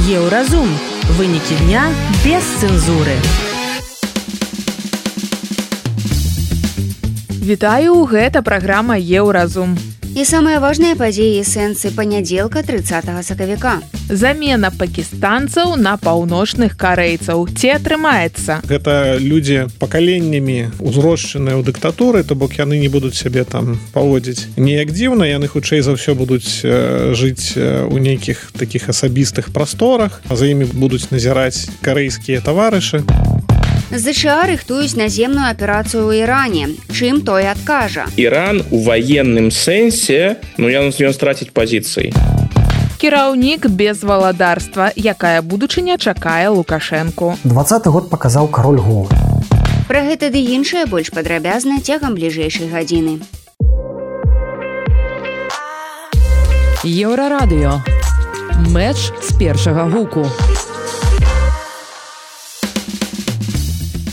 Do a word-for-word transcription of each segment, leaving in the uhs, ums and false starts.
Еўразум. Вынікі дня без цэнзуры. Вітаю, гэта праграма Еўразум. І самыя важныя падзеі і сэнсы панядзелка трыццатага сакавіка. Замена пакістанцаў на паўночных карэйцаў. Ці атрымаецца? Гэта людзі пакаленнямі узрошчаныя ў дыктатуры, то бок яны не будуць сябе там паводзіць неяк дзіўна, яны хутчэй за ўсё будуць э, жыць у нейкіх такіх асабістых прасторах, а за імі будуць назіраць карэйскія таварышы. ЗША рыхтуюць наземную аперацыю ў Іране. Чым той адкажа? Іран у ваенным сэнсе, ну ён страціць пазіцыі. Кіраўнік без валадарства. Якая будучыня чакае Лукашэнку? дваццаты год паказаў кароль голы. Пра гэта ды іншае больш падрабязна цягам бліжэйшай гадзіны. Еўрарадыё. Мэч з першага гуку.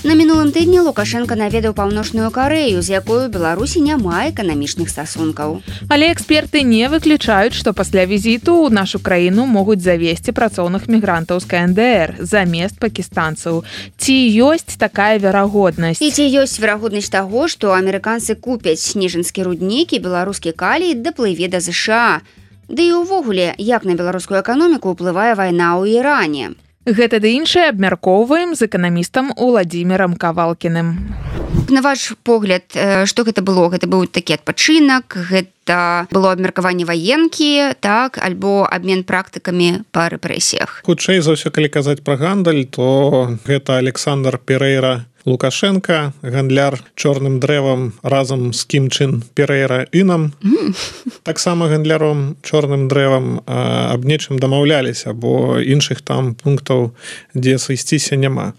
На мінулым тыдні Лукашенка наведаў Паўночную Карэю, з якою Беларусі няма эканамічных стасункаў. Але эксперты не выключаюць, што пасля візіту ў нашу краіну могуць завесці працоўных мігрантаў з КНДР замест пакістанцаў. Ці ёсць такая верагоднасць? І ці ёсць верагоднасць таго, што амерыканцы купяць ніжынскі руднік і беларускі калій даплыве да ЗША? Ды і ўвогуле, як на беларускую эканоміку ўплывае вайна ў Іране? Гэта ды іншае абмяркоўваем з эканамістам Уладзімірам Кавалкіным. На ваш погляд, што гэта было? Гэта быў такі адпачынак, гэта было абмеркаванне ваенкі, так, альбо абмен практыкамі па рэпрэсіях? Хутчэй за ўсё, калі казаць пра гандаль, то гэта Александр Перейра Лукашенка, гандляр чорным дрэвам разам з Кім Чын Перейра Інам. Mm. Таксама гандляром чорным дрэвам а, аб нечым дамаўляліся, бо іншых там пунктаў, дзе сысціся няма.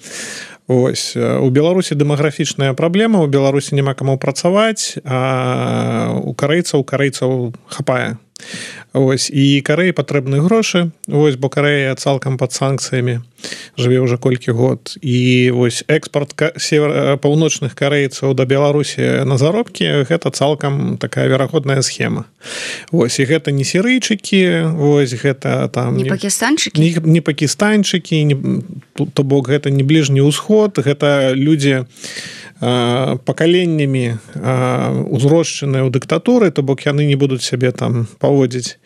Ось. У Беларусі дэмаграфічная праблема, у Беларусі няма каму працаваць, а у карэйцаў карэйцаў хапае. Ось. І Карэі патрэбны грошы, ось, бо Карэя цалкам пад санкцыямі жыве ўжо колькі год. І ось экспорт север... паўночных карэйцаў да Беларусі на заробкі гэта цалкам такая верагодная схема. Ось. І гэта не сірыйчыкі, ось, гэта там не пакістанчыкі, не, не пакістанчыкі, не... то бок гэта не бліжні ўсход, гэта людзі пакаленнямі узрошчаныя ў дыктатуры, то бок яны не будуць сябе там паводзіць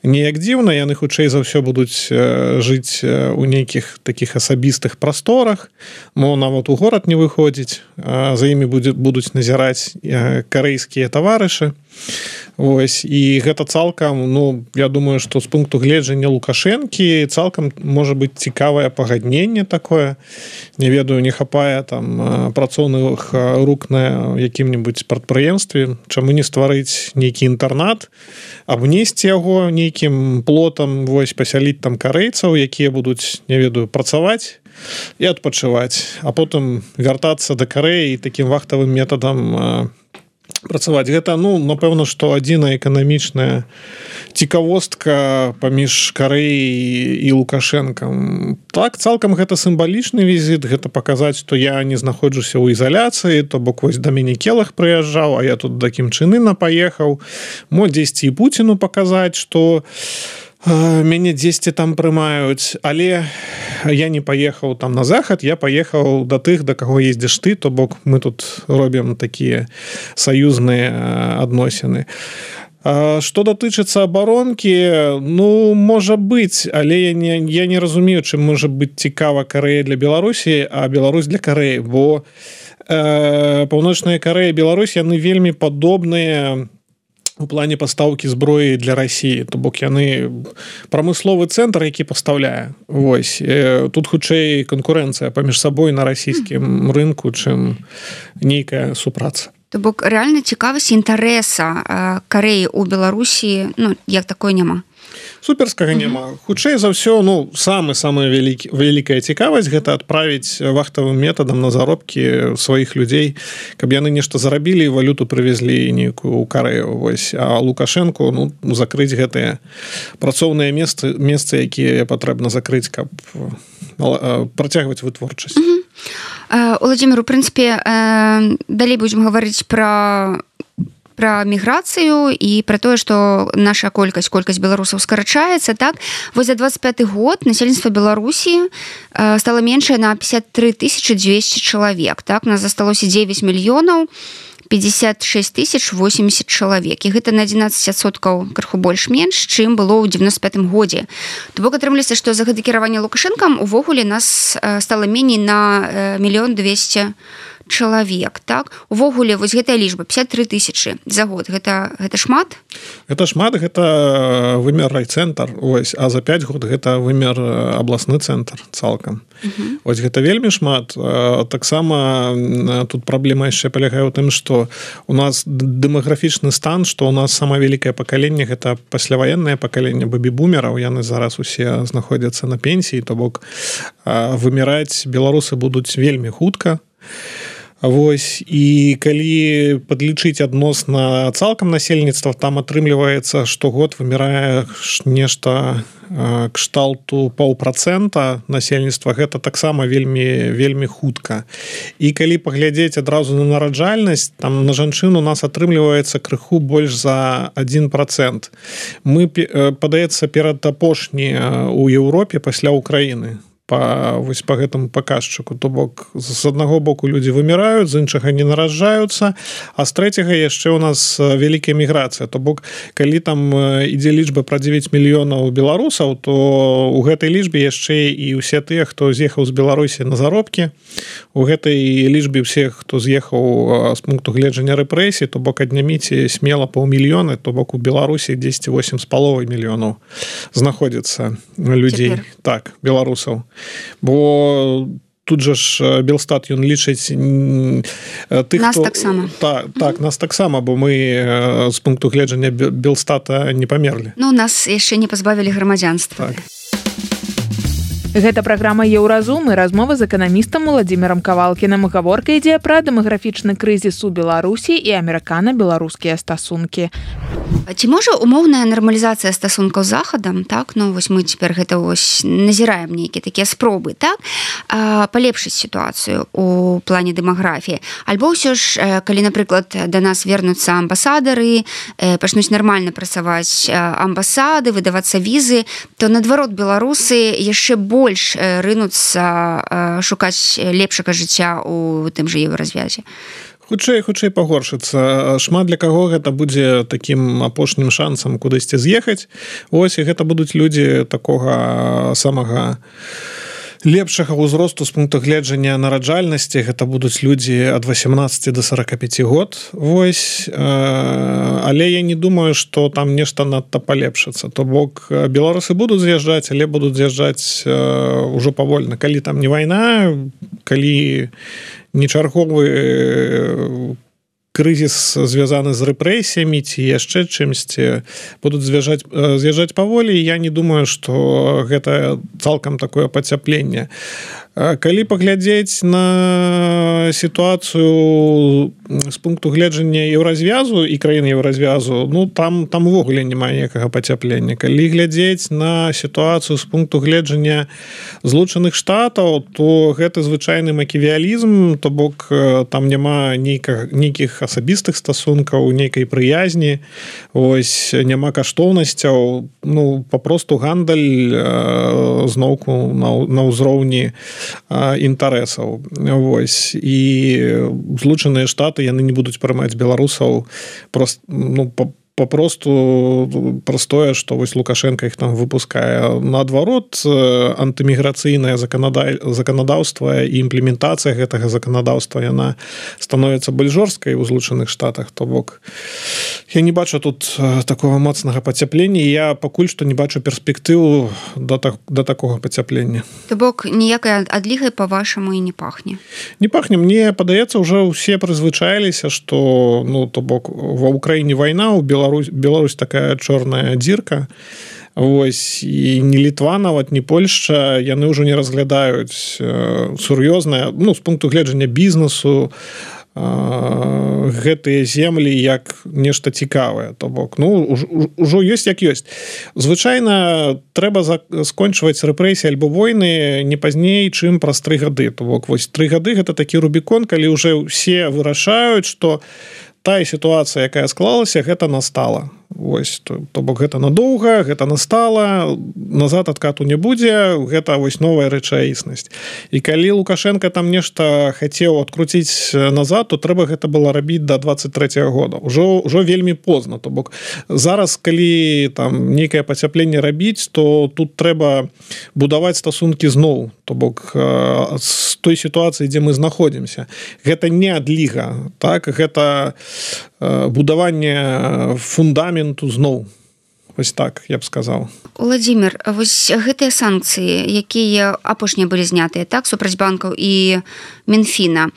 неяк дзіўна, яны хутчэй за ўсё будуць жыць у нейкіх такіх асабістых прасторах, мо нават у горад не выходзіць, за імі будуць назіраць карэйскія таварышы. Ось. І гэта цалкам, ну, я думаю, што з пункту гледжання Лукашэнкі цалкам можа быць цікавае пагадненне такое. Не ведаю, не хапае там працоўных рук на якім-небудзь прадпрыемстве, чаму не стварыць нейкі інтэрнат, абнесці яго нейкім плотам, вось, пасяліць там карэйцаў, якія будуць, не ведаю, працаваць і адпачываць, а потым вяртацца да Карэі такім вахтавым метадам працаваць. Гэта, ну, напэўна, што адзіная эканамічная цікавостка паміж Карэяй і Лукашэнкам. Так, цалкам гэта сімвалічны візіт, гэта паказаць, што я не знаходжуся ў ізаляцыі, то бок вось да мяне Келах прыязджаў, а я тут да Кім Чын Іна паехаў. Мо дзесьці і Пуціну паказаць, што мяне дзесьці там прымаюць, але я не паехаў там на захад, я паехаў да тых, да каго ездзіш ты, то бок мы тут робім такія саюзныя адносіны. Што датычыцца абаронкі, ну, можа быць, але я не, я не разумею, чым можа быць цікава Карэя для Беларусі, а Беларусь для Карэі, бо э, Паўночная Карэя і Беларусь, яны вельмі падобныя у плане пастаўкі зброі для Расіі, то бок яны прамысловы цэнтр, які пастаўляе. Вось. Тут хутчэй канкурэнцыя паміж сабой на расійскім рынку, чым нейкая супраца. То бок рэальна цікавасць інтарэса Карэі ў Беларусі, ну, як такой няма? Суперскага няма. Хутчэй за ўсё, ну, самы-самая вялікая цікавасць гэта адправіць вахтавым метадам на заробкі сваіх людзей, каб яны нешта зарабілі і валюту прывезлі нейкую ў Карэю. Вось. А Лукашэнку, ну, закрыць гэтыя працоўныя месцы, месцы, якія патрэбна закрыць, каб працягваць вытворчасць. Уладзімір, у прынцыпе, далей будзем гаварыць пра пра міграцыю і пра тое, што наша колькасць колькасць беларусаў скарачаецца, так? Вось за двадцать пяты год насельніцтва Беларусі стала меншае на пятьдесят три тысячи двести чалавек, так? У нас засталося девять мільёнаў пятьдесят шесть тысяч восемьдесят чалавек. І гэта на одиннадцать адсоткаў крыху больш-менш, чым было ў девяносто пятым годзе. То бок атрымліваецца, што за гэта кіраванне Лукашэнкам увогуле нас стала меней на мільён двести чалавек, так? Увогуле вось гэтая лічба пятьдесят три тысячи за год. Гэта гэта шмат? Гэта шмат, гэта вымер райцэнтр, ось, а за пять год гэта вымер абласны цэнтр цалкам. Uh-huh. Ось гэта вельмі шмат. Таксама тут праблема яшчэ палягае ў тым, што у нас дэмаграфічны стан, што у нас самае вялікае пакаленне гэта пасляваеннае пакаленне бэбі-бумераў, яны зараз усе знаходзяцца на пенсіі, то бок выміраць беларусы будуць вельмі хутка. Вось, і калі падлічыць адносна цалкам насельніцтва, там атрымліваецца, што год вымірае нешта кшталту паўпрацэнта насельніцтва, гэта таксама вельмі вельмі хутка. І калі паглядзець адразу на нараджальнасць, там на жанчын у нас атрымліваецца крыху больш за один процент. Мы, падаецца, перад апошні ў Еўропе пасля Украіны. Па, вось па гэтаму паказчыку. То бок, з аднаго боку людзі выміраюць, з іншага не нараджаюцца, а з трэцяга яшчэ ў нас вялікая міграцыя. То бок, калі там ідзе лічба пра девять мільёнаў беларусаў, то ў гэтай лічбе яшчэ і ўсе тыя, хто з'ехаў з Беларусі на заробкі, у гэтай лічбе ўсе, хто з'ехаў з пункту гледжання рэпрэсій, то бок адняміце смела паўмільёны, то бок у Беларусі дзесьці восемь з паловай мільёнаў знаходзіцца людзей. Цяпер. Так, беларусаў. Бо тут жа ж Белстат ён лічыць тых, нас хто... таксама. Так, так, нас таксама, бо мы з пункту гледжання Белстата не памерлі. Ну, нас яшчэ не пазбавілі грамадзянства. Так. Гэта праграма «Еўразум» і размова з эканамістам Уладзімірам Кавалкіным. Гаворка ідзе пра дэмаграфічны крызіс у Беларусі і амерыкана-беларускія стасункі. Ці можа умоўная нармалізацыя стасункаў з Захадам, так? Ну, вось мы цяпер гэта вось назіраем нейкія такія спробы, так? Палепшыць сітуацыю у плане дэмаграфіі. Альбо ўсё ж, калі, напрыклад, да нас вернуцца амбасадары, пачнуць нармальна працаваць амбасады, выдавацца візы, то, наадварот, беларусы яшчэ больш больш рынуцца шукаць лепшага жыцця у тым жа еўразвязе. Хутчэй, хутчэй пагоршыцца. Шмат для каго гэта будзе такім апошнім шансам кудысьці з'ехаць. Ось, і гэта будуць людзі такога самага лепшага ўзросту з пункту гледжання нараджальнасці. Гэта будуць людзі ад восемнадцати до сорока пяти год. Вось. Але я не думаю, што там нешта надта палепшыцца. То бок беларусы будуць з'язджаць, але будуць з'язджаць ужо павольна. Калі там не вайна, калі не чарговы крызіс звязаны з рэпрэсіямі ці яшчэ чымсьці, будуць з'язджаць, з'язджаць паволі, я не думаю, што гэта цалкам такое пацяпленне. Калі паглядзець на сітуацыю з пункту гледжання еўразвязу і краін еўразвязу, ну там там увогуле няма ніякага пацяплення. Калі глядзець на сітуацыю з пункту гледжання Злучаных Штатаў, то гэта звычайны маківіялізм, то бок там няма нейкіх асабістых стасункаў, нейкай прыязні, ось няма каштоўнасцяў, ну папросту гандаль зноўку на, на ўзроўні інтарэсаў. Вось. І Злучаныя Штаты яны не будуць прымаць беларусаў прост, ну, па папросту простое, што вось Лукашенко іх там выпускае. Наадварот, антыміграцыйнае заканадаўства і імплементацыя гэтага заканадаўства яна становіцца больш жорсткай у Злучаных Штатах. То бок я не бачу тут такого моцнага пацяплення, і я пакуль што не бачу перспектыву да, так, да такога пацяплення. То бок ніякай адлігай па-вашаму і не пахне? Не пахне. Мне падаецца, ўжо ўсе прызвычаіліся, што ну, то бок ва Ўкраіне вайна, у Беларусі Беларусь, Беларусь такая чорная дзірка. Вось, і ні Літва, нават ні Польшча, яны ўжо не разглядаюць э, сур'ёзна, ну, з пункту гледжання бізнесу, э, гэтыя землі як нешта цікавае. То бок, ну, ўжо ёсць як ёсць. Звычайна трэба скончваць рэпрэсіі альбо войны не пазней, чым праз тры гады. То бок, вось тры гады гэта такі рубікон, калі ўжо ўсе вырашаюць, што тая сітуацыя, якая склалася, гэта настала. Вось, то, то бок гэта надоўга, гэта настала, назад адкату не будзе, гэта вось новая рэчаіснасць. І калі Лукашенко там нешта хацеў адкруціць назад, то трэба гэта было рабіць да двадцать трэцяга года. Ужо, ужо вельмі позна. То бок зараз, калі там нейкае пацяпленне рабіць, то тут трэба будаваць стасункі зноў. То бок з той сітуацыі, дзе мы знаходзімся. Гэта не адліга, так? Гэта будаванне фундаменту зноў. Вось так, я б сказаў. Владимир, вось гэтыя санкцыі, якія апошнія былі знятыя, так, супраць банкаў і Мінфіна,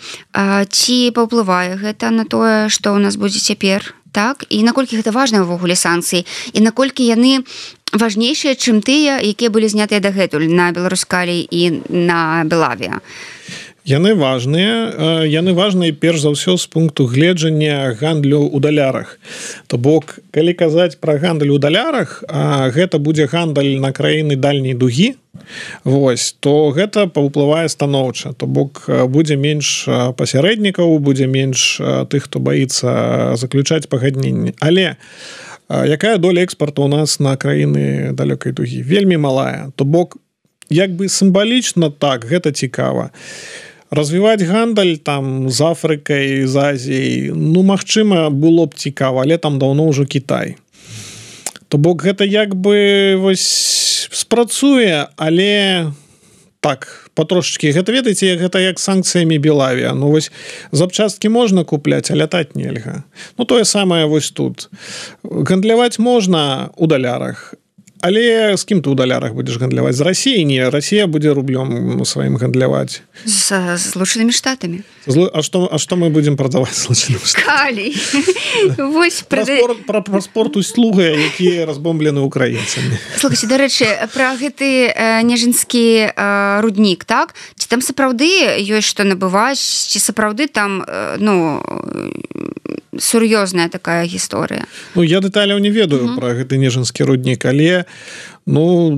ці паўплывае гэта на тое, што ў нас будзе цяпер, так? І наколькі гэта важныя ўвогуле санкцыі? І наколькі яны важнейшыя, чым тыя, якія былі знятыя дагэтуль на Беларускалі і на Белавіа? Яны важныя, яны важныя перш за ўсё з пункту гледжання гандлю ў далярах. То бок, калі казаць пра гандаль у далярах, гэта будзе гандаль на краіны дальняй дугі, вось, то гэта паўплывае станоўча. То бок, будзе менш пасярэднікаў, будзе менш тых, хто баіцца заключаць пагадненні. Але якая доля экспарту ў нас на краіны далёкай дугі? Вельмі малая. То бок, як бы сімвалічна так, гэта цікава. Развіваць гандаль там з Афрыкай, з Азіяй, ну, магчыма, было б цікава, але там даўно ўжо Кітай. То бок гэта як бы вось спрацуе, але так, патрошачкі. Гэта, ведаеце, гэта як санкцыямі Белавіа. Ну, вось запчасткі можна купляць, а лятаць нельга. Ну, тое самае вось тут. Гандляваць можна ў далярах, але з кім ты ў далярах будзеш гандляваць? З Расіяй? Не, Расія будзе рублём сваім гандляваць. З Злучанымі Штатамі. Злу... А, што, а што мы будзем прадаваць Злучаным Штатам? Калій. Вось пра, спорт, пра, пра спорт услуги, якія разбомблены украінцамі. Слухайце, дарэчы, пра гэты э, нежынскі э, руднік, так? Ці там сапраўды ёсць што набываць, ці сапраўды там, э, ну, сур'ёзная такая гісторыя? Ну, я дэталяў не ведаю uh-huh. пра гэты нежынскі руднік, але ну,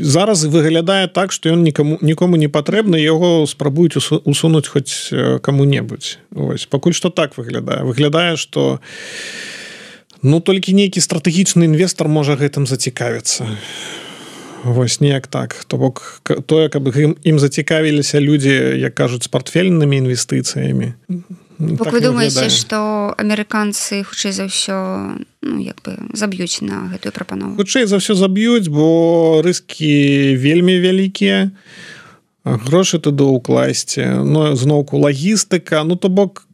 зараз выглядае так, што ён нікому, нікому не патрэбны, яго спрабуюць усунуць хоць каму-небудзь. Ось, пакуль што так выглядае. Выглядае, што ну, толькі нейкі стратэгічны інвестар можа гэтым зацікавіцца. Вось, неяк так. То бок, тое, каб ім, ім зацікавіліся людзі, як кажуць, з партфельнымі інвестыцыямі. Бок, так вы думаеце, што амерыканцы хутчэй за ўсё, ну, як бы заб'юць на гэтую прапанову? Хутчэй за ўсё заб'юць, бо рыскі вельмі вялікія, грошы туды ўкласці, ну, зноўку лагістыка, ну, то бок,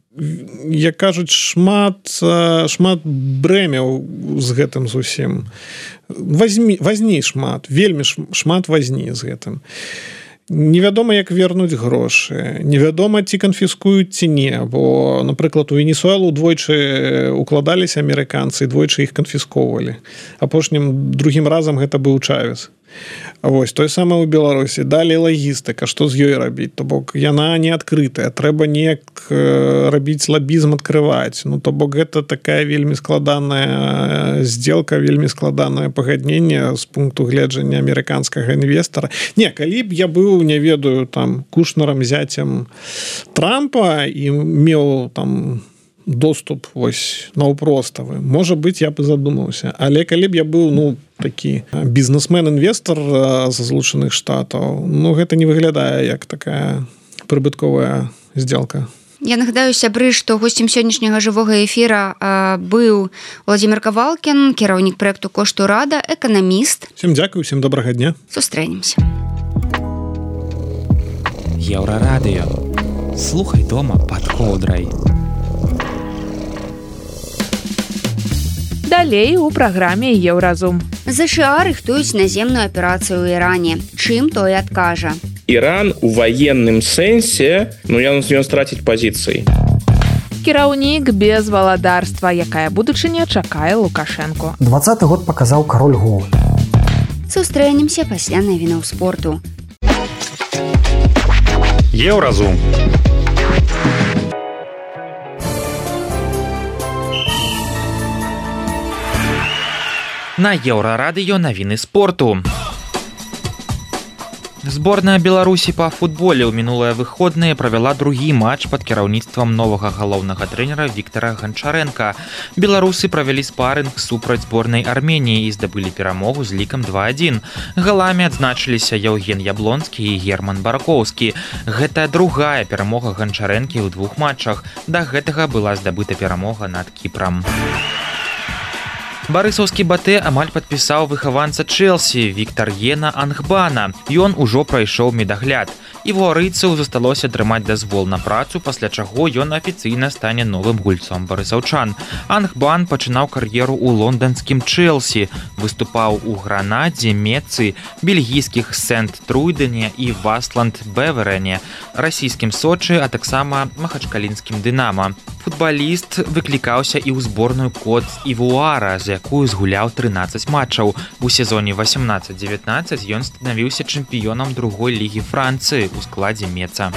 як кажуць, шмат, шмат брэмяў з гэтым зусім. Вазьмі, вазні шмат, вельмі шмат вазні з гэтым. Невядома, як вернуць грошы, невядома, ці канфіскуюць, ці не, бо, напрыклад, у Венесуэлу двойчы укладаліся амерыканцы, двойчы іх канфіскоўвалі. Апошнім другім разам гэта быў Чавес. А вось, тое самае ў Беларусі. Далей лагістыка, што з ёй рабіць? То бок, яна не адкрытая, трэба неяк рабіць лабізм, адкрываць. Ну, то бок, гэта такая вельмі складаная здзелка, вельмі складанае пагадненне з пункту гледжання амерыканскага інвестара. Не, калі б я быў, не ведаю, там, Кушнерам, зяцем Трампа і меў там доступ вось наўпроставы, можа быць, я б задумаўся. Але калі б я быў, ну, такі бізнесмен-інвестар з Злучаных Штатаў, ну, гэта не выглядае як такая прыбытковая здзелка. Я нагадаю, сябры, што госцем сённяшняга жывога эфіра э, быў Владимир Кавалкін, кіраўнік праекту «Кошту Рада», эканаміст. Всем дзякуй, всем добрага дня. Сустрэнемся. Еўрарадыё. Слухай дома пад коўдрай. Далей у праграме «Еўразум». ЗША рыхтуюць наземную аперацыю ў Іране. Чым той адкажа? Іран у военным сэнсе, ну, ён, ён страціць пазіцыі. Кіраўнік без валадарства. Якая будучыня чакае Лукашэнку? двадцаты год паказаў кароль голы. Сустрэнемся пасля навінаў спорту. Еўразум. На Еўрарадыё навіны спорту. Зборная Беларусі па футболе ў мінулыя выходныя правяла другі матч пад кіраўніцтвам новага галоўнага трэнера Віктара Ганчарэнка. Беларусы правялі спарынг супраць зборнай Арменіі і здабылі перамогу з лікам два адзін. Галамі адзначыліся Яўген Яблонскі і Герман Баракоўскі. Гэта другая перамога Ганчарэнкі ў двух матчах. Да гэтага была здабыта перамога над Кіпрам. Барысаўскі Батэ амаль падпісаў выхаванца Чэлсі Віктар Ена Ангбана. Ён ужо прайшоў медагляд. І вуарыйцаў засталося атрымаць дазвол на працу, пасля чаго ён афіцыйна стане новым гульцом барысаўчан. Ангбан пачынаў кар'еру ў лонданскім Чэлсі, выступаў у Гранадзе, Мецы, бельгійскіх Сент-Труйдене і Васланд-Беверене, расійскім Сочы, а таксама махачкалінскім Дынама. Футбаліст выклікаўся і ў зборную Кот Івуара, за якую згуляў трынаццаць матчаў. У сезоне васемнаццаць дзевятнаццаць ён станавіўся чэмпіёнам другой лігі Францыі у складзе Меца.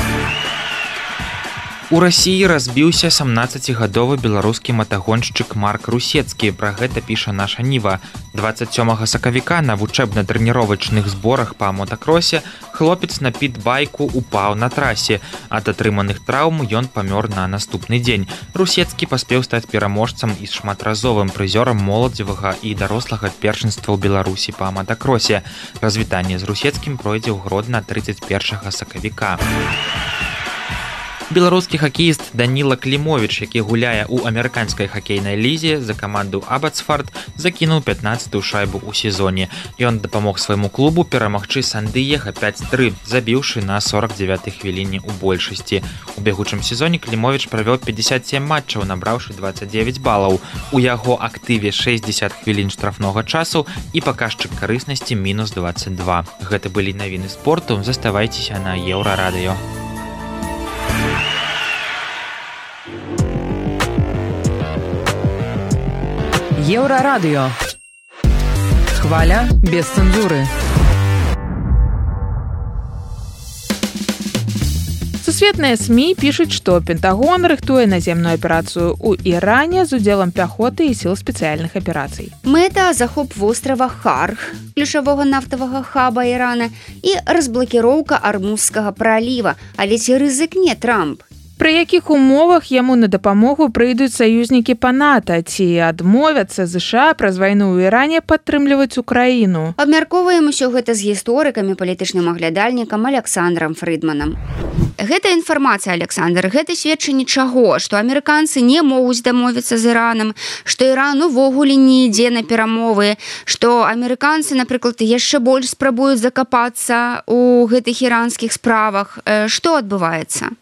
У Расіі разбіўся сямнаццацігадовы беларускі матагоншчык Марк Русецкі. Пра гэта піша наша Ніва. дваццаць сёмага сакавіка на вучэбна-трэніровачных зборах па мотакросе хлопец на піт-байку упаў на трасе. Ад атрыманых траўм ён памёр на наступны дзень. Русецкі паспеў стаць пераможцам і шматразовым прызёрам моладзевага і дарослага першынства ў Беларусі па мотакросе. Развітанне з Русецкім пройдзе ў Гродна трыццаць першага сакавіка. Беларускі хакеіст Даніла Клімовіч, які гуляе ў амерыканскай хакейнай лізе за каманду Абацфард, закінуў пятнаццатую шайбу ў сезоне. Ён дапамог свайму клубу перамагчы Сан-Дыега пяць тры, забіўшы на сорак дзевятай хвіліне ў большасці. У бягучым сезоне Клімовіч правёў пятьдесят семь матчаў, набраўшы дваццаць дзевяць балаў. У яго актыве шэсцьдзесят хвілін штрафнога часу і паказчык карыснасці мінус дваццаць два. Гэта былі навіны спорту, заставайцеся на Еўрарадыё. Еўрарадыё. Хваля без цэнзуры. Сусветныя СМІ пішуць, што Пентагон рыхтуе наземную аперацыю ў Іране з удзелам пяхоты і сіл спецыяльных аперацый. Мэта захоп вострава Харх, ключавога нафтавага хаба Ірана, і разблакіроўка Армузскага праліва. Але ці рызыкне Трамп? Пры якіх умовах яму на дапамогу прыйдуць саюзнікі па НАТО, ці адмовяцца ЗША праз вайну ў Іране падтрымліваць Украіну? Абмяркоўваем усё гэта з гісторыкам і палітычным аглядальнікам Александрам Фрыдманам. Гэта інфармацыя, Александр, гэта сведчанне чаго? Што амерыканцы не могуць дамовіцца з Іранам, што Іран увогуле не ідзе на перамовы, што амерыканцы, напрыклад, яшчэ больш спрабуюць закапацца ў гэтых іранскіх справах. Што адбываецца?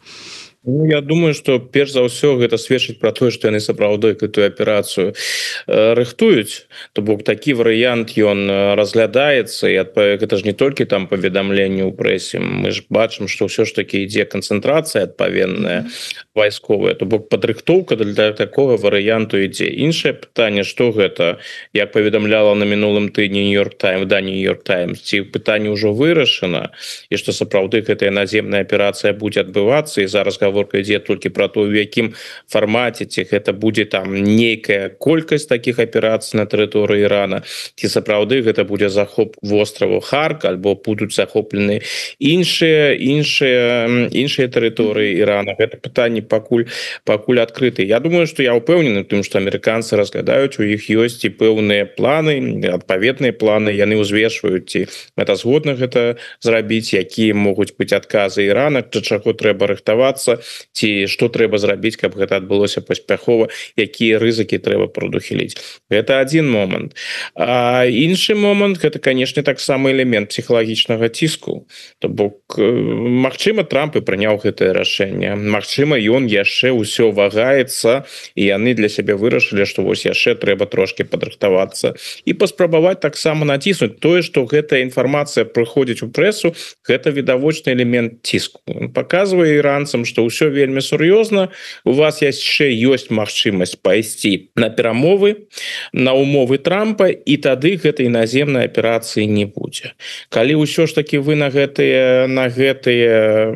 Ну, я думаю, што перш за ўсё гэта сведчыць пра тое, што яны сапраўды гэтую аперацыю э, рыхтуюць. То бок такі варыянт ён разглядаецца, і гэта ж не толькі там паведамленне ў прэсе. Мы ж бачым, што ўсё ж такі ідзе канцэнтрацыя адпаведная вайсковая. То бок падрыхтоўка для такога варыянту ідзе. Іншае пытанне, што гэта, як паведамляла на мінулым тыдні Нью-Йорк Таймс, да Нью-Йорк Таймс, ці пытанне ўжо вырашана, і што сапраўды гэтая наземная аперацыя будзе адбывацца, і зараз гаворка ідзе толькі пра то, у якім фармаце, ці гэта будзе там нейкая колькасць такіх аперацый на тэрыторыі Ірана, ці сапраўды гэта будзе захоп востраву Харк, альбо будуць захоплены іншыя іншыя іншыя тэрыторыі Ірана. Гэта пытанне пакуль пакуль адкрыты. Я думаю, што я ўпэўнены тым, што амерыканцы разглядаюць, у іх ёсць і пэўныя планы, адпаведныя планы, яны ўзвешваюць, ці гэта згодна гэта зрабіць, якія могуць быць адказы Ірана, да чаго трэба рыхтавацца, ці што трэба зрабіць, каб гэта адбылося паспяхова, якія рызыкі трэба прадухіліць. Гэта адзін момант. А іншы момант, гэта, канешне, таксама элемент псіхалагічнага ціску. То бок, магчыма, Трамп і прыняў гэтае рашэнне. Магчыма, ён яшчэ ўсё вагаецца, і яны для сябе вырашылі, што вось яшчэ трэба трошкі падрыхтавацца і паспрабаваць таксама націснуць. Тое, што гэтая інфармацыя прыходзіць у прэсу, гэта відавочны элемент ціску. Он паказвае іранцам, што ўсё вельмі сур'ёзна, у вас яшчэ ёсць магчымасць пайсці на перамовы, на умовы Трампа, і тады гэтай наземнай аперацыі не будзе. Калі ўсё ж такі вы на гэтыя на гэтыя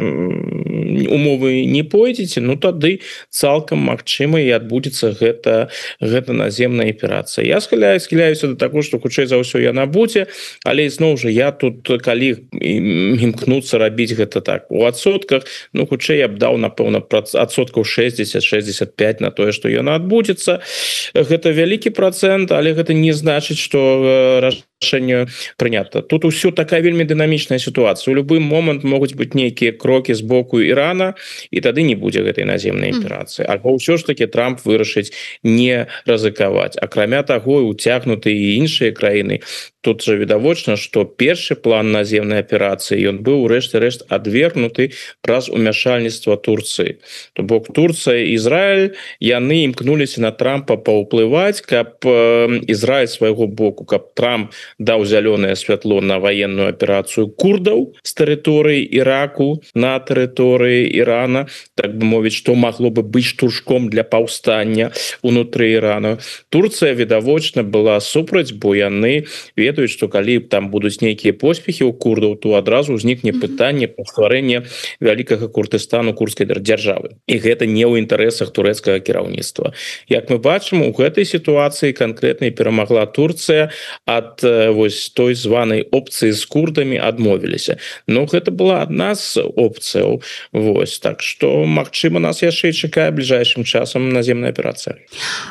умовы не пойдзеце, ну тады цалкам магчыма і адбудзецца гэта гэта наземная аперацыя. Я схіляю схіляюся да таго, што хутчэй за ўсё яна будзе, але зноў жа я тут калі імкнуцца рабіць гэта так у адсотках, ну хутчэй я б даў напэўна адсоткаў шэсцьдзесят шэсцьдзесят пять на тое, што яна адбудзецца. Гэта вялікі працэнт, але гэта не значыць, што рашэнне прынята. Тут усё такая вельмі дынамічная сітуацыя. У любы момант могуць быць нейкія крокі з боку Ірана, і тады не будзе гэтай наземнай аперацыі. Альбо ўсё ж таки Трамп вырашыць не рызыкаваць. Акрамя таго, уцягнуты і іншыя краіны. Тут жа відавочна, што першы план наземнай аперацыі ён быў у рэшце рэшт адвергнуты праз умяшальніцтва Турцыі. То бок Турцыя і Ізраіль яны імкнуліся на Трампа паўплываць, каб Ізраіль свайго боку, каб Трамп даў зялёнае святло на ваенную аперацыю курдаў з тэрыторыі Іраку на тэрыторыі Ірана, так бы мовіць, што магло бы быць штуршком для паўстання унутры Ірана. Турцыя відавочна была супраць, бо яны ведаюць, што калі там будуць нейкія поспехі ў курдаў, то адразу ўзнікне пытанне пра стварэнне вялікага Курдыстану, курдскай дзяржавы. І гэта не ў інтарэсах турэцкага кіраўніцтва. Як мы бачым, у гэтай сітуацыі канкрэтна перамагла Турцыя, ад вось той званай опцыі з курдамі адмовіліся. Ну гэта была адна з опцыяў. Вось, так што магчыма нас яшчэ чакае бліжэйшым часам наземная аперацыя.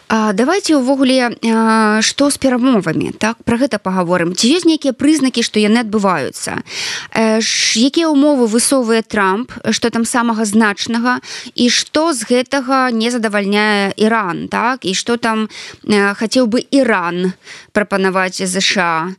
А давайте увогуле што з перамовамі, так, пра гэта пагаворым. Ці ёсць нейкія прызнакі, што яны адбываюцца? Якія ўмовы высоввае Трамп, што там самага значнага, і што з гэтага не задавальняе Іран, так? І што там хацеў бы Іран прапанаваць ЗША?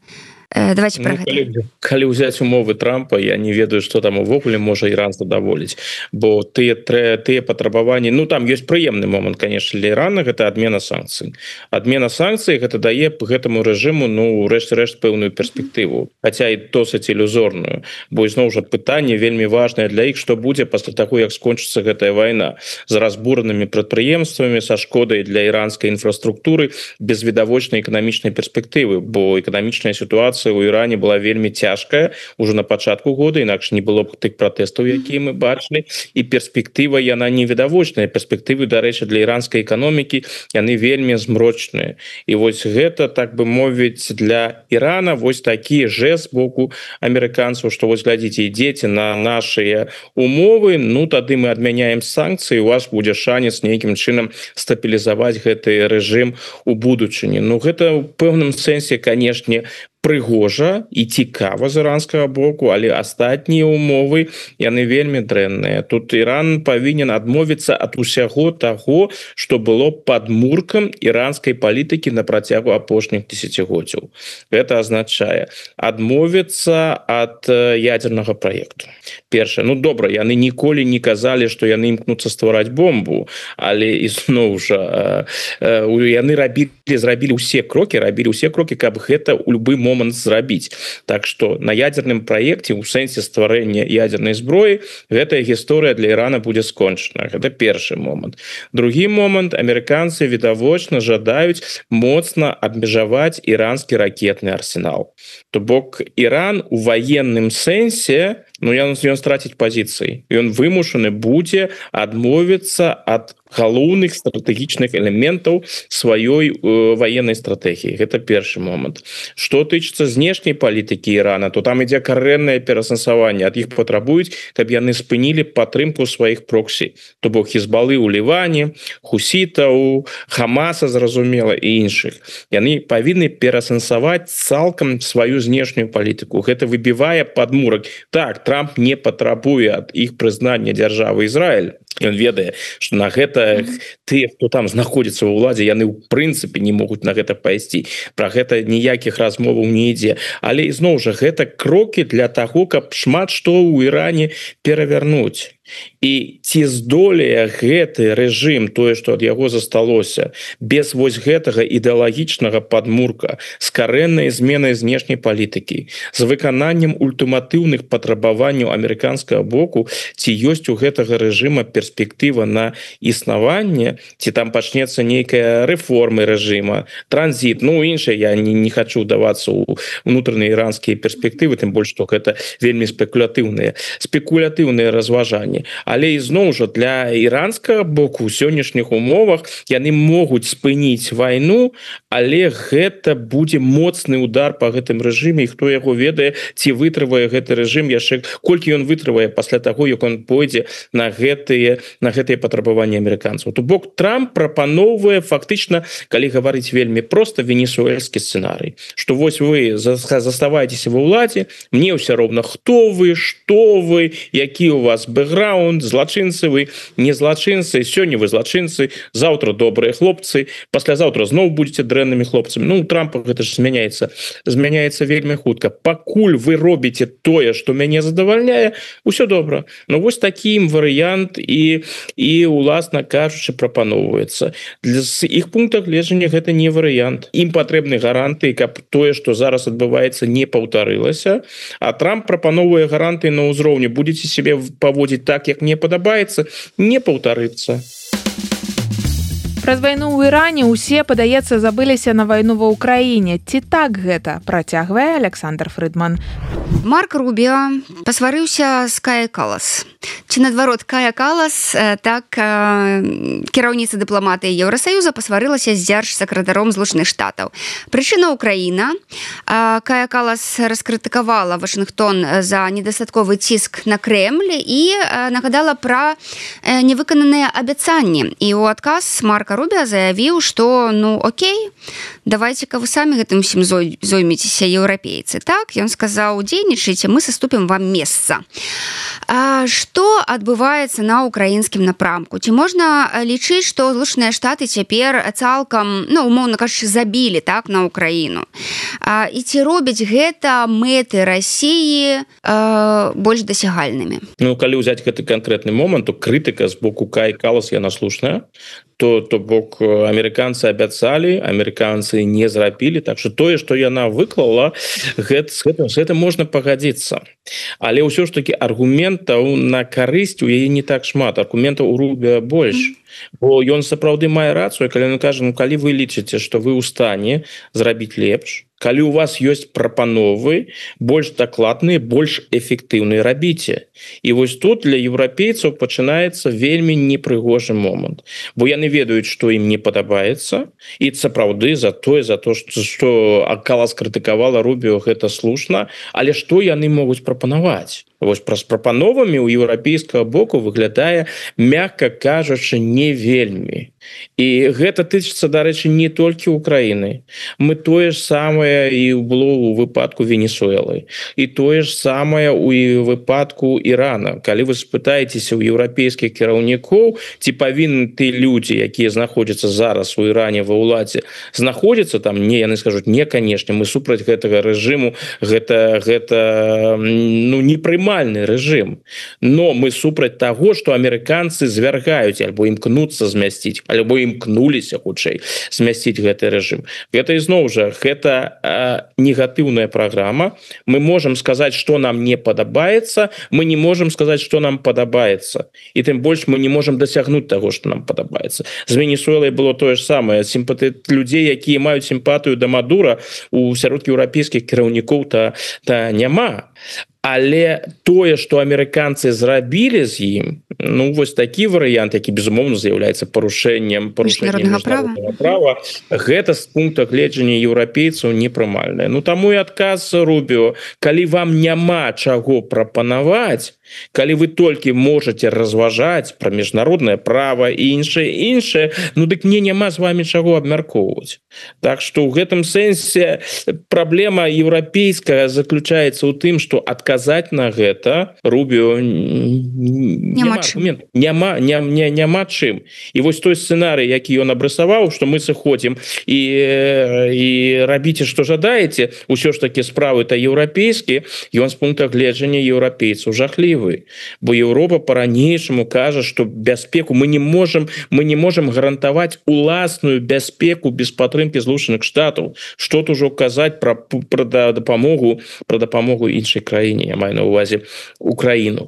Давайте ну, про гэта. Калі, калі ўзяць умовы Трампа, я не ведаю, што там увогуле можа Іран задаволіць, бо тыя, тыя патрабаванні, ну там ёсць прыемны момант, конечно, для Ірана, гэта адмена санкцый. Адмена санкцый гэта дае гэтаму рэжыму, ну, рэшт-рэшт пэўную перспектыву, хаця і досыць ілюзорную, бо ізноў жа пытанне вельмі важнае для іх, што будзе пасля таго, як скончыцца гэтая вайна з разбуранымі прадпрыемствамі, са шкодай для іранскай інфраструктуры, без відавочнай эканамічнай перспектывы, бо эканамічная сітуацыя у Іране была вельмі цяжкая ўжо на пачатку года, інакш не было б тых пратэстаў, якія мы бачылі, і перспектыва яна невідавочная. Перспектывы, дарэчы, для іранскай эканомікі яны вельмі змрочныя. І вось гэта, так бы мовіць, для Ірана вось такі жэст з боку амерыканцаў, што вось глядзіце, ідзеце на нашыя умовы, ну тады мы адмяняем санкцыі, у вас будзе шанец нейкім чынам стабілізаваць гэты рэжым у будучыні. Ну гэта ў пэўным сэнсе, канешне, прыгожа і цікава з іранскага боку, але астатнія умовы яны вельмі дрэнныя. Тут Іран павінен адмовіцца ад усяго таго, што было падмуркам іранскай палітыкі на працягу апошніх дзесяцігоддзяў. Гэта азначае адмовіцца ад ядзернага праекту. Першае, ну добра, яны ніколі не казалі, што яны імкнуцца ствараць бомбу, але ізноў жа яны рабілі, зрабілі ўсе крокі, рабілі ўсе крокі, каб гэта ў любы момант момант зрабіць. Так што на ядзерным праекце ў сэнсе стварэння ядзернай зброі гэтая гісторыя для Ірана будзе скончана. Гэта першы момант. Другі момант, амерыканцы відавочна жадаюць моцна абмежаваць іранскі ракетны арсенал. То бок Іран у ваенным сэнсе, ну ён, ён страціць пазіцыі. Ён вымушаны будзе адмовіцца ад галоўных стратэгічных элементаў сваёй э, ваеннай стратэгіі. Гэта першы момант. Што тычыцца знешняй палітыкі Ірана, то там ідзе карэннае пераасэнсаванне. Ад іх патрабуюць, каб яны спынілі падтрымку сваіх проксі. То бок Хізбалы ў Ліване, хусітаў, Хамаса, зразумела, і іншых. Яны павінны пераасэнсаваць цалкам сваю знешнюю палітыку. Гэта выбівае падмурак. Так, Трамп не патрабуе ад іх прызнання дзяржавы Ізраіль. Ён ведае, што на гэта тыя, хто там знаходзіцца ва ўладзе, яны ў прынцыпе не могуць на гэта пайсці. Пра гэта ніякіх размоваў не ідзе. Але ізноў жа гэта крокі для таго, каб шмат што ў Іране перавярнуць. І ці здолее гэты рэжым, тое, што ад яго засталося, без вось гэтага ідэалагічнага падмурка, з карэннай зменай знешняй палітыкі, з выкананнем ультыматыўных патрабаванняў амерыканскага боку, ці ёсць у гэтага рэжыма перспектыва на існаванне, ці там пачнецца нейкая рэформы рэжыма, транзіт, ну іншае, я не, не хочу давацца ў унутраныя іранскія перспектывы, тым больш, што гэта вельмі спекулятыўныя, спекулятыўныя разважанні. Сірыі, але ізноў жа для іранскага боку ў сённяшніх умовах яны могуць спыніць вайну, але гэта будзе моцны удар по гэтым рэжыме, і хто яго ведае, ці вытрывае гэты рэжым яшчэ, колькі ён вытрывае пасля таго, як он пойдзе на гэтые на гэтыя патрабаванні амерыканцаў. То бок Трамп прапаноўвае фактычна, калі гаварыць вельмі проста, венесуэльскі сцэнарый, што вось вы заставаецеся ва ўладзе, мне ўсё роўна хто вы, што вы, які у вас бэкграунд, злачынцы вы, не злачынцы, сёння вы злачынцы, заўтра добрыя хлопцы, паслязаўтра зноў будзеце дрэннымі хлопцамі. Ну, у Трампа гэта ж змяняецца, змяняецца вельмі хутка. Пакуль вы робіце тое, што мяне задавальняе, усё добра. Ну, вось такім варыянт і, і уласна кажучы, прапаноўваецца. З іх пункта гледжання гэта не варыянт. Ім патрэбны гаранты, каб тое, што зараз адбываецца, не паўтарылася. А Трамп прапаноўвае гаранты на ўзроўні. Будзеце сябе паводзіць так, як мне падабаецца, не паўтарыцца. Праз вайну ў Іране ўсе, падаецца, забыліся на вайну ва ўкраіне. Ці так гэта? Працягвае Александр Фрыдман. Марк Рубіо пасварыўся з Кая Калас. Ці наадварот, Кая Калас, так кіраўніца дыпламатыі Еўрасаюза пасварылася з дзяржсакратаром Злучаных Штатаў. Прычына Украіна. Кая Калас раскрытыкавала Вашынгтон за недастатковы ціск на Крэмль і нагадала пра невыкананыя абяцанні. І ў адказ Марка Рубіо заявіў, што ну окей, давайте-ка вы самі гэтым усім зоймецеся, еўрапейцы. Так, ён сказаў, дзейнічайце, мы саступім вам месца. А што адбываецца на украінскім напрамку? Ці можна лічыць, што Злучаныя Штаты цяпер цалкам, ну, умоўна кажучы, забілі так на Украіну? А, і ці робяць гэта мэты Расіі а, больш дасягальнымі? Ну, калі ўзяць гэты канкрэтны момант, то крытыка з боку Каі Калас яна слушная. То, то бок амерыканцы абяцалі, амерыканцы не зрабілі, так што тое, што яна выклала, гэта, з гэтым, з гэтым можна пагадзіцца. Але ўсё ж такі аргументаў на карысць у яе не так шмат, аргументаў у Рубіо больш. Бо ён сапраўды мае рацыю, калі ён кажа, ну калі вы лічыце, што вы ў стане зрабіць лепш, калі у вас ёсць прапановы больш дакладныя, больш эфектыўныя, рабіце. І вось тут для еўрапейцаў пачынаецца вельмі непрыгожы момант. Бо яны ведаюць, што ім не падабаецца, і сапраўды за тое, за то, што, што Калас крытыкавала Рубіо, гэта слушна, але што яны могуць прапанаваць? Вось праз прапановамі ў еўрапейскага боку выглядае, мякка кажучы, не вельмі. І гэта тычыцца, дарэчы, не толькі Украіны. Мы тое ж самае і было ў выпадку Венесуэлы. І тое ж самае ў выпадку Ірана. Калі вы спытаецеся ў еўрапейскіх кіраўнікоў, ці павінны ты людзі, якія знаходзяцца зараз у Іране ва ўладзе, знаходзяцца там? Не, яны скажуць, не, канешне, мы супраць гэтага рэжыму, гэта, гэта ну, непрымальны рэжым. Но мы супраць таго, што амерыканцы звяргаюць, альбо імкнуцца змясціць, альбо імкнуліся хутчэй змясціць гэты рэжым. Гэта ізноў жа, гэта э, негатыўная праграма. Мы можам сказаць, што нам не падабаецца, мы не можам сказаць, што нам падабаецца. І тым больш мы не можам дасягнуць таго, што нам падабаецца. З Венесуэлай было тое ж самае. Сімпаты... Людзей, якія маюць сімпатыю да Мадура, у сярод еўрапейскіх кіраўнікоў та, та няма. Але тое, што амерыканцы зрабілі з ім, ну, вось такі варыянт, які, безумоўна, з'яўляецца парушэннем парушэннем міжнароднага права, гэта з пункта гледжання еўрапейцаў непрымальнае. Ну, таму і адказ Рубіо, калі вам няма чаго прапанаваць, калі вы толькі можаце разважаць пра міжнароднае права і іншае, іншае, ну, дык мне няма з вамі чаго абмяркоўваць. Так што ў гэтым сэнсе праблема еўрапейская заключаецца ў тым, што адказ казаць на гэта Рубіо няма, няма, няма, няма чым. І вось той сцэнарый, які ён абрысаваў, што мы сыходзім і, і рабіце, што жадаеце, усё ж такі справы-то еўрапейскія, ён з пункта гледжання еўрапейцаў жахлівы. Бо Еўропа па-ранейшаму кажа, што бяспеку мы не можам, мы не можам гарантаваць уласную бяспеку без падтрымкі Злучаных Штатаў. Што тут ужо казаць пра, пра дапамогу, пра дапамогу іншай краіне. Я маю на увазе Украіну.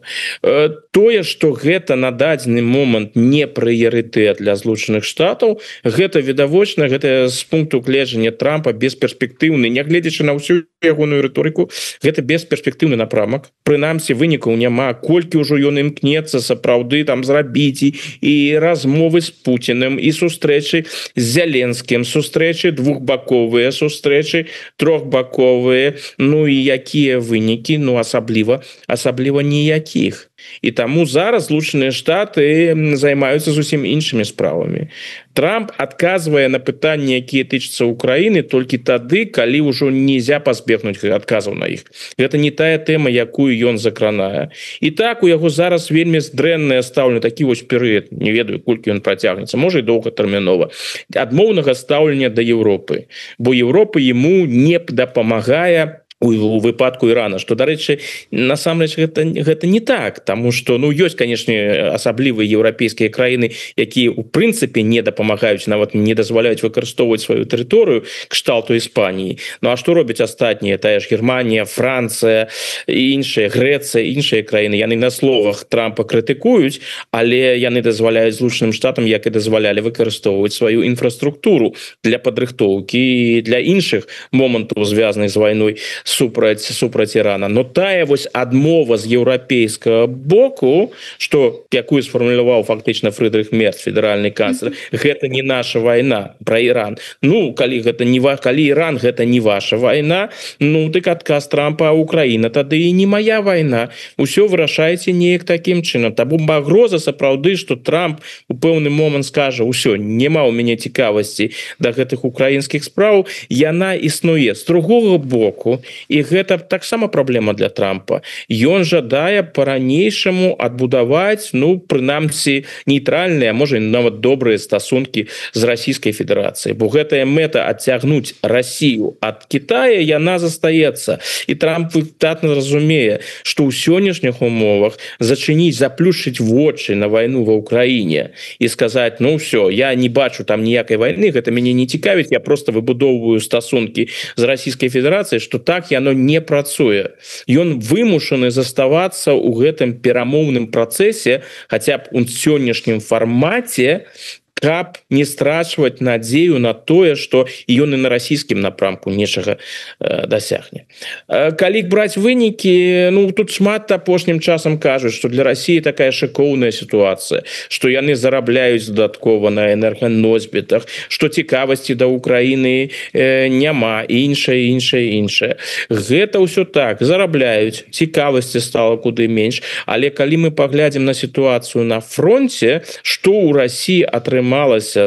Тое, што гэта на дадзены момант не прыярытэт для Злучаных Штатаў, гэта відавочна, гэта з пункту гледжання Трампа бесперспектыўны, нягледзячы на ўсю ягоную рыторыку, гэта бесперспектыўны напрамак. Прынамсі вынікаў няма, колькі ўжо ён імкнецца сапраўды там зрабіць і, і размовы з Пуціным, і сустрэчы з Зеленскім, сустрэчы двухбаковыя, сустрэчы трохбаковыя, ну і якія вынікі, ну асабліва, асабліва ніякіх. І таму зараз Злучаныя Штаты займаюцца зусім іншымі справамі. Трамп адказвае на пытанні, якія тычацца Украіны, толькі тады, калі ўжо нельзя пазбегнуць адказаў на іх. Гэта не тая тэма, якую ён закранае. І так у яго зараз вельмі дрэннае стаўленне, такі вось перыяд, не ведаю, колькі ён працягнецца, можа і доўгатэрмінова, адмоўнага стаўлення да Еўропы, бо Еўропа яму не дапамагае у выпадку Ірана, што, дарэчы, насамрэч гэта, гэта не так, таму што, ну, ёсць, канешне, асаблівыя еўрапейскія краіны, якія ў прынцыпе не дапамагаюць, нават не дазваляюць выкарыстоўваць сваю тэрыторыю кшталту Іспаніі. Ну а што робяць астатнія? Тая ж Германія, Францыя, іншыя, Грэцыя, іншыя краіны. Яны на словах Трампа крытыкуюць, але яны дазваляюць Злучаным Штатам, як і дазвалялі выкарыстоўваць сваю інфраструктуру для падрыхтоўкі і для іншых момантаў, звязаных з вайной супраць супраць Ірана. Но тая вось адмова з еўрапейскага боку, што якую сфармуляваў фактычна Фрыдрых Мерц, федэральны канцлер, гэта не наша вайна, пра Іран. Ну, калі гэта не ва... калі Іран гэта не ваша вайна, ну, дык адказ Трампа, Украіна тады і не мая вайна. Усё вырашаеце неяк такім чынам. Таму пагроза сапраўды, што Трамп у пэўны момант скажа: "Усё, няма ў мяне цікавасці да гэтых украінскіх спраў", яна існуе. З другога боку, і гэта таксама праблема для Трампа. Ён жадае па-ранейшаму адбудаваць, ну, прынамсі, нейтральныя, можа, нават добрыя стасункі з Расійскай Федэрацыяй. Бо гэтая мэта адцягнуць Расію ад Китая, яна застаецца. І Трамп выдатна разумее, што ў сённяшніх умовах зачыніць, заплюшчыць вочы на вайну ва Ўкраіне і сказаць: "Ну, ўсё, я не бачу там ніякай вайны, гэта мяне не цікавіць, я проста выбудоўваю стасункі з Расійскай Федэрацыяй", што так яно не працуе. Ён вымушаны заставацца ў гэтым перамоўным працэсе, хаця б у сённяшнім фармаце, каб не страчваць надзею на тое, што ён і на расійскім напрамку нечага э, дасягне. Э, калі браць вынікі, ну, тут шмат апошнім часам кажуць, што для Расіі такая шыкоўная сітуацыя, што яны зарабляюць дадаткова на энерганосьбітах, што цікавасці да Украіны э, няма, іншае, іншае, іншае. Гэта ўсё так, зарабляюць, цікавасці стала куды менш, але калі мы паглядзім на сітуацыю на фронте, што ў Расіі атрымалася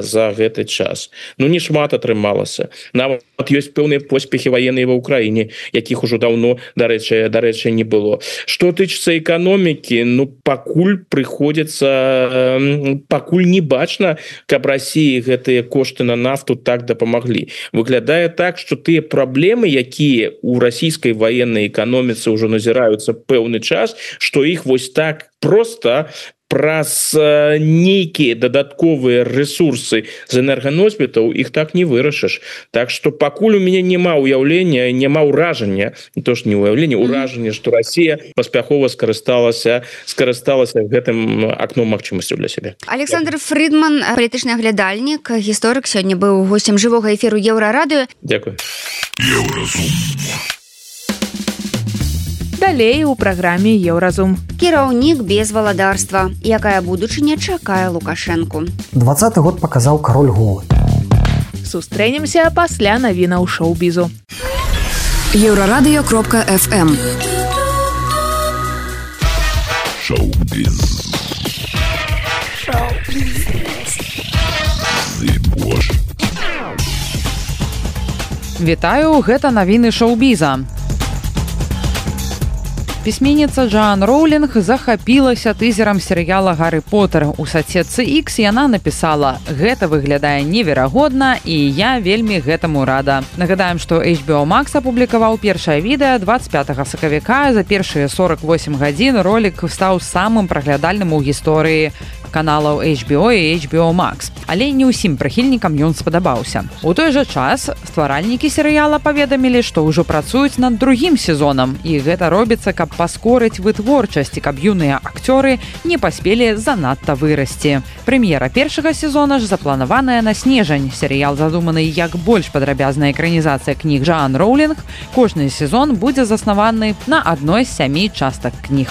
за гэты час. Ну, не шмат атрымалася. Нават ёсць пэўныя поспехі ваенныя ва Ўкраіне, якіх ужо даўно, дарэчы, дарэчы, не было. Што тычыцца эканомікі, ну, пакуль прыходзіцца, пакуль не бачна, каб Расіі гэтыя кошты на нафту так дапамаглі. Выглядае так, што тыя праблемы, якія ў расійскай ваеннай эканоміцы ўжо назіраюцца пэўны час, што іх вось так проста праз нейкія дадатковыя рэсурсы з энерганосьбітаў іх так не вырашыш. Так што пакуль у мяне няма ўяўлення, няма ўражання, то ж не ўяўлення, ўражання, што Расія паспяхова скарысталася скарысталася гэтым акном магчымасцяў для сябе. Александр Фридман, палітычны аглядальнік, гісторык, сёння быў госцем жывога эфіру Еўрарадыё. Дзякуй. Еўразум. Далей у праграме Еўразум. Кіраўнік без валадарства. Якая будучыня чакае Лукашэнку? двадцаты год паказаў кароль голы. Сустрэнемся пасля навінаў шоу-бізу. Еўрарадыё кропка эф эм. Шоу-біз. Вітаю, гэта навіны шоу-біза. Пісьменніца Джоан Роулінг захапілася тызерам серыяла «Гаррі Поттер». У сацсетцы X яна напісала: «Гэта выглядае неверагодна, і я вельмі гэтаму рада». Нагадаем, што эйч би о Max апублікаваў першае відэа дваццаць пятага сакавіка. За першыя сорок восем гадзін ролік стаў самым праглядальным у гісторыі каналаў эйч би о і эйч би о Max. Але не ўсім прыхільнікам ён спадабаўся. У той жа час стваральнікі серыяла паведамілі, што ўжо працуюць над другім сезонам, і гэта робіцца, каб паскорыць вытворчасць, каб юныя акцёры не паспелі занадта вырасці. Прэм'ера першага сезона ж запланаваная на снежань. Серыял задуманы як больш падрабязная экранізацыя кніг Джоан Роулінг. Кожны сезон будзе заснаваны на адной з сямі частак кніг.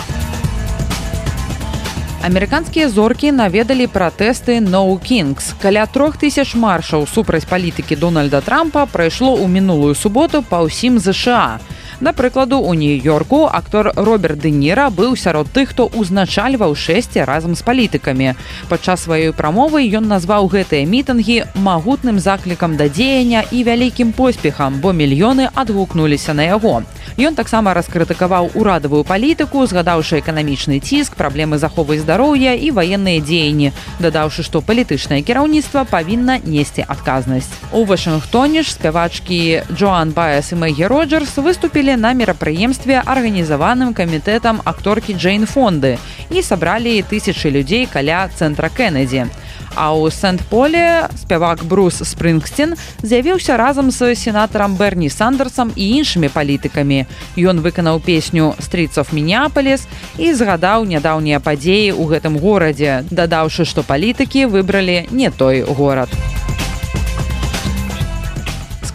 Амерыканскія зоркі наведалі пратэсты No Kings. Каля трох тысяч маршаў супраць палітыкі Дональда Трампа прайшло ў мінулую суботу па ўсім ЗША. Да прыкладу, у Нью-Йорку актор Роберт Дэ Ніра быў сярод тых, хто ўзначальваў шэсце разам з палітыкамі. Падчас сваёй прамовы ён назваў гэтыя мітынгі магутным заклікам да дзеяння і вялікім поспехам, бо мільёны адгукнуліся на яго. Ён таксама раскрытыкаваў урадавую палітыку, згадаўшы эканамічны ціск, праблемы з аховай здароўя і ваенныя дзеянні, дадаўшы, што палітычнае кіраўніцтва павінна несці адказнасць. У Вашынгтоне ж спявачкі Джоан Баэс і Мэгі Роджерс выступілі на мерапрыемстве, арганізаваным камітэтам акторкі Джейн Фонды, і сабралі тысячы людзей каля цэнтра Кеннеді. А ў Сент-Поле спявак Брус Спрынгсцін з'явіўся разам з сенатарам Берні Сандерсам і іншымі палітыкамі. Ён выканаў песню «Streets of Minneapolis» і згадаў нядаўнія падзеі ў гэтым горадзе, дадаўшы, што палітыкі выбралі не той горад.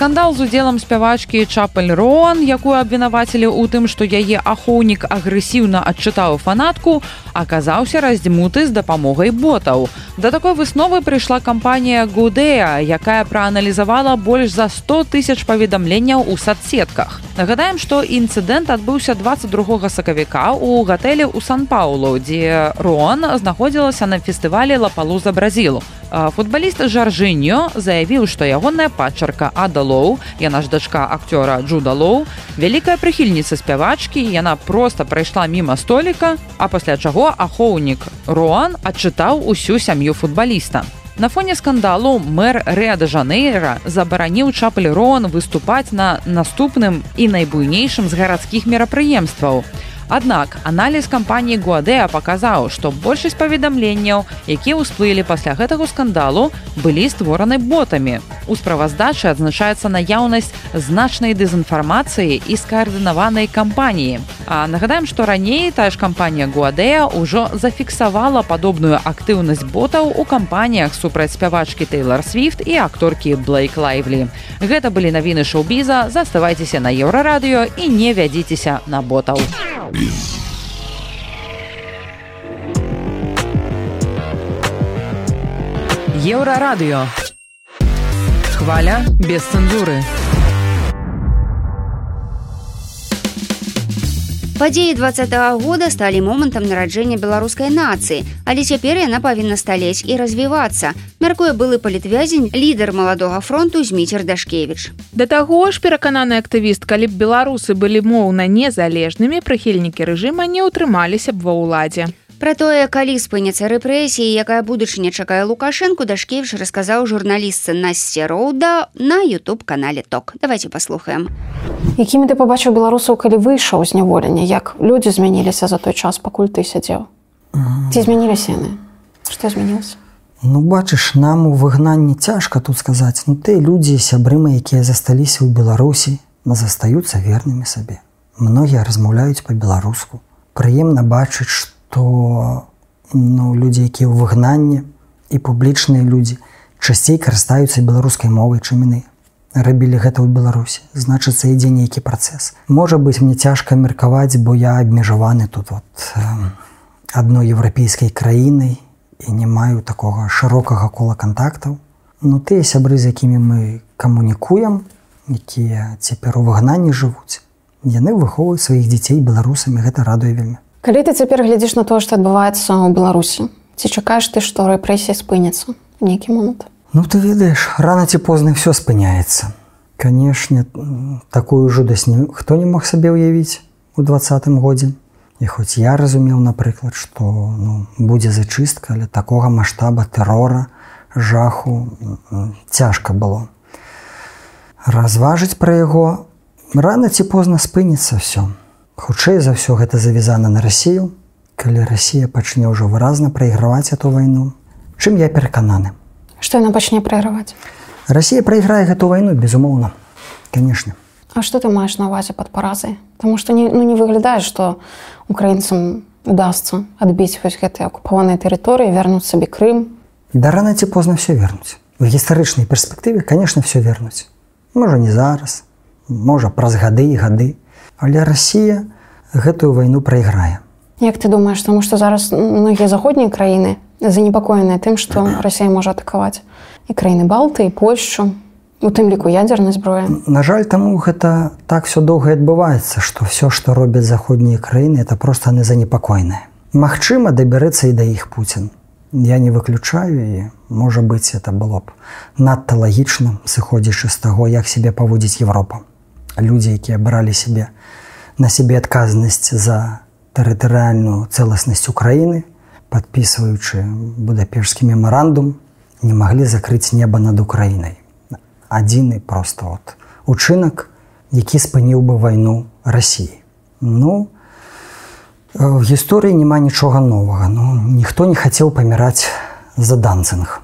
Скандал з удзелам спявачкі Чапель Роан, якую абвінавацілі ў тым, што яе ахоўнік агрэсіўна адчытаў фанатку, аказаўся раздзьмуты з дапамогай ботаў. Да такой высновы прыйшла кампанія Гудея, якая прааналізавала больш за сто тысяч паведамленняў у садсетках. Нагадаем, што інцыдэнт адбыўся дваццаць другога сакавіка ў гатэлі ў Сан-Паулу, дзе Роан знаходзілася на фестывалі Лапалуза Бразіл. Футбаліст Жаржыньо заявіў, што ягоная падчарка Ада Лоу, яна ж дачка акцёра Джуда Лоу, вялікая прыхільніца спявачкі, яна проста прайшла міма століка, а пасля чаго ахоўнік Роан адчытаў усю сям'ю футбаліста. На фоне скандалу мэр Рыа-де-Жанейра забараніў Чапель Роан выступаць на наступным і найбуйнейшым з гарадскіх мерапрыемстваў. Аднак аналіз кампаніі Гуадеа паказаў, што большасць паведамленняў, якія ўсплылі пасля гэтага скандалу, былі створаны ботамі. У справаздачы адзначаецца наяўнасць значнай дэзінфармацыі і скаардынаванай кампаніі. А нагадаем, што раней тая ж кампанія Гуадеа ўжо зафіксавала падобную актыўнасць ботаў у кампаніях супраць спявачкі Тэйлар Свіфт і акторкі Блейк Лайвлі. Гэта былі навіны шоу-біза, заставайцеся на Еўрарадыё і не вядзіцеся на ботаў. Еўрарадыё. Хваля без цэнзуры. Падзеі двадцатага года сталі момантам нараджэння беларускай нацыі, але цяпер яна павінна сталець і развівацца, мяркуе былы палітвязень, лідар маладога фронту Зміцер Дашкевіч. Да таго ж, перакананы актывіст, калі б беларусы былі моўна незалежнымі, прыхільнікі рэжыма не ўтрымаліся б ва ўладзе. Пра тое, калі спыняцца рэпрэсіі, якая будучыня чакае Лукашэнку, Дашкевіч расказаў журналістцы Насце Роуда на ютуб-канале Ток. Давайте паслухаем. Якімі ты пабачыў беларусаў, калі выйшаў з няволення? Як людзі змяніліся за той час, пакуль ты сядзеў? Ці змяніліся яны? Што змянілася? Ну, бачыш, нам у выгнанні цяжка тут сказаць. Ну, ты людзі, сябры мае, якія засталіся ў Беларусі, застаюцца вернымі сабе. Многія размаўляюць па-беларуску. Прыемна бачыць, што то ну, людзі, якія ў выгнанні і публічныя людзі часцей карыстаюцца беларускай мовай, чым яны рабілі гэта ў Беларусі. Значыцца, ідзе нейкі працэс. Можа быць, мне цяжка меркаваць, бо я абмежаваны тут вот, э, адной еўрапейскай краінай і не маю такога шырокага кола кантактаў. Ну, тыя сябры, з якімі мы камунікуем, якія цяпер у выгнанні жывуць, яны выхоўваюць сваіх дзяцей беларусамі, гэта радуе вельмі. Калі ты цяпер глядзіш на тое, што адбываецца ў Беларусі, ці чакаеш ты, што рэпрэсія спыняцца ў нейкі момант? Ну, ты ведаеш, рана ці позна ўсё спыняецца. Канешне, такую жудасць хто не мог сабе ўявіць у двадцатым годзе. І хоць я разумеў, напрыклад, што ну, будзе зачыстка, але такога маштаба тэрора, жаху цяжка было. Разважыць пра яго рана ці позна спыніцца ўсё. Хутчэй за ўсё гэта завязана на Расію, калі Расія пачне ўжо выразна прайграваць эту вайну, чым я перакананы. Што яна пачне прайграваць? Расія прайграе гэту вайну, безумоўна, канешне. А что ты маешь на увазе под паразой? Потому что не, ну, не выглядает, что украинцам удастся отбить вось гэтые оккупованные территории, вернуть себе Крым. Да рано ці позна все вернуть. В гістарычнай перспектыве, конечно, все вернуть. Можа не зараз, можа праз гады і гады, але Россия гэтую войну прайграе. Як ты думаешь, потому что зараз многие заходние краины занепокоенные тем, что Россия может атаковать и краины Балты, и Польшу, у тым ліку ядерной зброі? На жаль, таму гэта так все доўга адбываецца, што все, што робяць заходнія краіны, это просто незанепакойнае. Магчыма, дабярэцца і да іх Пуцін. Я не выключаю, і, можа быць, это было б надта лагічна, сыходзячы з таго, як сябе паводзіць Европа. Людзі, якія бралі сябе на сябе адказнасць за тэрытарыяльную цэласнасць Украіны, падпісваючы Будапешскі мемарандум, не маглі закрыць неба над Украінай. Адзіны просто от учынак, які спыніў бы вайну Расіі. Ну, в гісторыі няма нічога новага. Ну, ніхто не хацеў паміраць за Данцинг.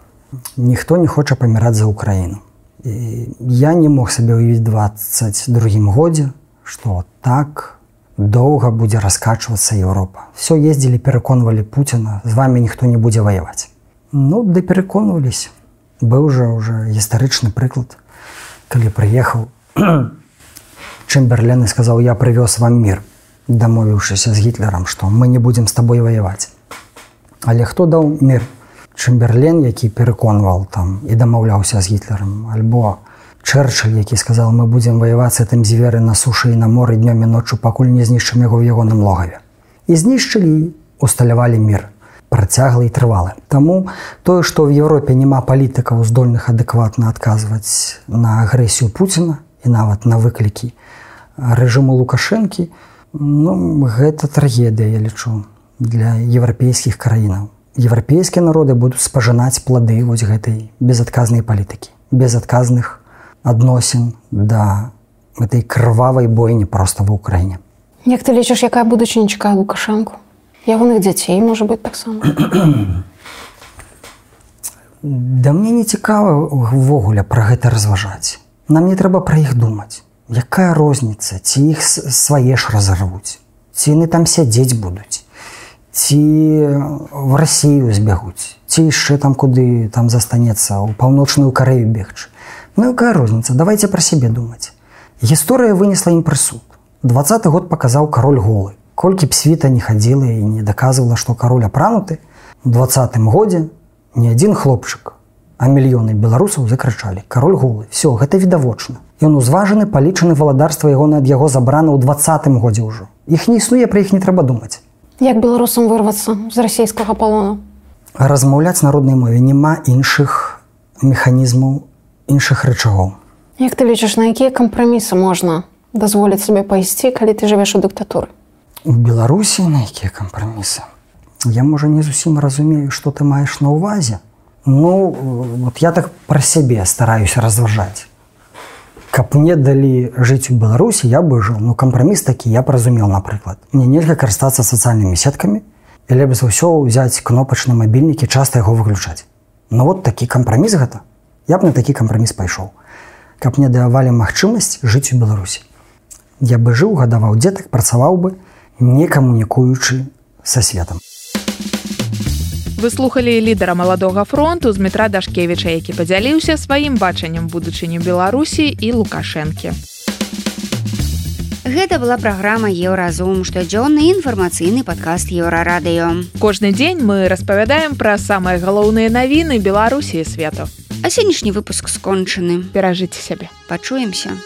Ніхто не хоча паміраць за Украіну. І я не мог сабе ўявіць двадцать другім годзе, што так доўга будзе раскачвацца Еўропа. Все ездзілі, пераконвалі Пуціна, з вами ніхто не будзе ваяваць. Ну, да пераконваліся. Быў жа ўжо гістарычны прыклад, калі прыехаў Чэмберлен і сказаў: я прывёз вам мір, дамовіўшыся з Гітлерам, што мы не будзем з табой ваяваць. Але хто даў мір? Чэмберлен, які пераконваў там і дамаўляўся з Гітлерам, альбо Чэрчыль, які сказаў: мы будзем ваяваць з гэтым зверы на сушы і на моры днём і ноччу, пакуль не знішчым яго в ягоным логаве. І знішчылі, усталявалі мір. Працяглы і трывалы. Таму тое, што ў Еўропе няма палітыкаў, здольных адэкватна адказваць на агрэсію Пуціна і нават на выклікі рэжыму Лукашэнкі, ну, гэта трагедыя, я лічу, для еўрапейскіх краінаў. Еўрапейскія народы будуць спажынаць плады вось гэтай безадказнай палітыкі, безадказных адносін да гэтай крывавай бойні проста ва ўкраіне. Як ты лічыш, якая будучыня чакае Лукашэнку? Ягоных дзяцей, можа быць, таксама. Да мне не цікава ўвогуле пра гэта разважаць. Нам не трэба пра іх думаць. Якая розніца, ці іх свае ж разарвуць, ці яны там сядзець будуць, ці в Расію збягуць, ці яшчэ там куды там застанецца, у паўночную Карэю бегчы. Ну якая розніца, давайте пра сябе думаць. Гісторыя вынесла ім прысуд. дваццаты год паказаў кароль голы. Колькі б світа не хадзіла і не даказвала, што кароль апрануты, у дваццатым годзе не адзін хлопчык, а мільёны беларусаў закрычалі: кароль голы. Все, гэта відавочна. Ён узважаны, палічаны, валадарства яго ад яго забрана ў дваццатым годзе ўжо. Іх не існуе, пра іх не трэба думаць. Як беларусам вырвацца з расійскага палону? Размаўляць на роднай мове, няма іншых механізмаў, іншых рычагоў. Як ты лічыш, на якія кампрамісы можна дазволіць сабе пайсці, калі ты жывеш у дыктатуры? У Беларусі на якія кампрамісы? Я, можа, не зусім разумею, што ты маеш на ўвазе. Ну, вот я так пра сябе стараюся разважаць. Каб мне далі жыць у Беларусі, я бы жыў. Ну, кампраміс такі я разумел, напрыклад. Мне нельга карыстацца сацыяльнымі сеткамі, і лепш за ўсё ўзяць кнопачны мабільнік і часта яго выключаць. Ну, вот такі кампраміс гэта. Я б на такі кампраміс пайшоў. Каб мне давалі магчымасць жыць у Беларусі. Я бы жыў, гадаваў дзетак, працаваў бы, не камунікуючы са светам. Вы слухалі лідара маладога фронту Змітра Дашкевіча, які падзяліўся сваім бачаннем будучыню Беларусі і Лукашэнкі. Гэта была праграма Еўразум, штодзённы інфармацыйны падкаст Еўрарадыё. Кожны дзень мы распавядаем пра самыя галоўныя навіны Беларусі і свету. А сённяшні выпуск скончаны. Перажыце сябе. Пачуемся.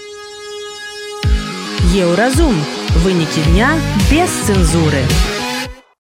Еўразум. Вынікі дня без цэнзуры.